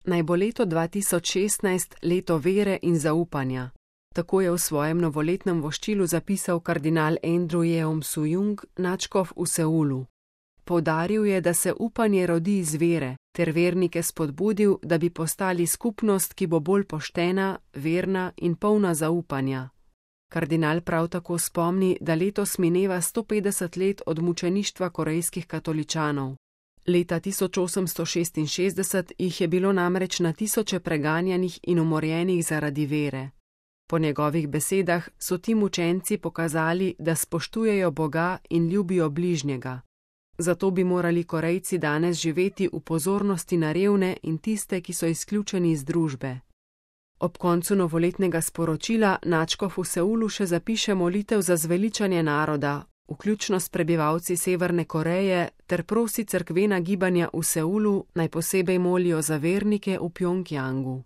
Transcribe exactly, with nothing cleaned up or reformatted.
Naj bo leto dva tisoč šestnajst leto vere in zaupanja. Tako je v svojem novoletnem voščilu zapisal kardinal Andrew Yeom Sujung, nadškof v Seulu. Poudaril je, da se upanje rodi iz vere, ter vernike spodbudil, da bi postali skupnost, ki bo bolj poštena, verna in polna zaupanja. Kardinal prav tako spomni, da letos mineva sto petdeset let od mučeništva korejskih katoličanov. Leta tisoč osemsto šestinšestdeset jih je bilo namreč na tisoče preganjanih in umorjenih zaradi vere. Po njegovih besedah so ti mučenci pokazali, da spoštujejo Boga in ljubijo bližnjega. Zato bi morali Korejci danes živeti v pozornosti na revne in tiste, ki so izključeni iz družbe. Ob koncu novoletnega sporočila nadškof v Seulu še zapiše molitev za zveličanje naroda, vključno s prebivalci Severne Koreje, ter prosi cerkvena gibanja v Seulu, naj posebej molijo za vernike v Pjongjangu.